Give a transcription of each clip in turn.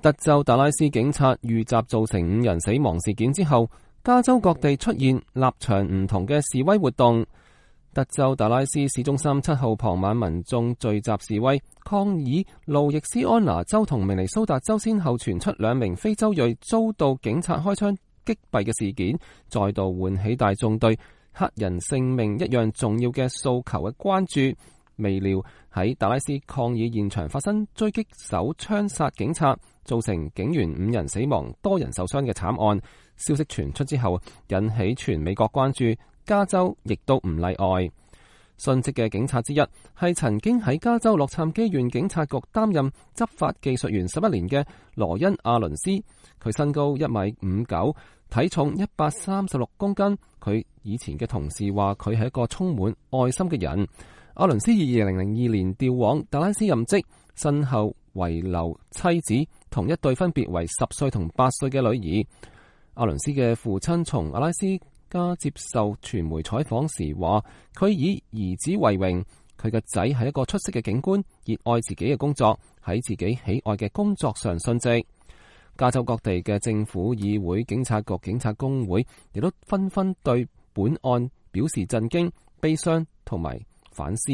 德州達拉斯警察遇襲造成5人死亡事件之後，加州各地出現立場唔同嘅示威活動。德州達拉斯市中心7號傍晚，民眾聚集示威，抗議路易斯安那州同明尼蘇達州先後傳出2名非洲裔遭到警察開槍擊斃嘅事件，再度喚起大眾對黑人性命一樣重要嘅訴求嘅關注。未料喺達拉斯抗議現場發生狙擊手槍殺警察，造成警員5人死亡、多人受傷嘅慘案。消息傳出之後，引起全美國關注，加州亦都唔例外。殉職嘅警察之一係曾經喺加州洛杉磯縣警察局擔任執法技術員11年嘅羅恩·阿倫斯。佢身高1.59米，體重136公斤。佢以前嘅同事話佢係一個充滿愛心嘅人。阿倫斯以2002年調往達拉斯任職，身後遺留妻子同一對分別為10歲同8歲嘅女兒。阿倫斯嘅父親從阿拉斯加接受傳媒採訪時話，佢以兒子為榮，佢嘅仔係一個出色嘅警官，熱愛自己嘅工作，喺自己喜愛嘅工作上殉職。加州各地嘅政府、議會、警察局、警察工會亦都紛紛對本案表示震驚、悲傷同埋反思。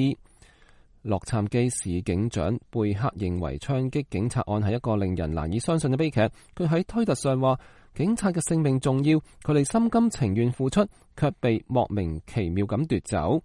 洛杉磯市警長貝克認為槍擊警察案係一個令人難以相信嘅悲劇。佢喺推特上話，警察嘅性命重要，佢哋心甘情願付出，卻被莫名其妙咁奪走。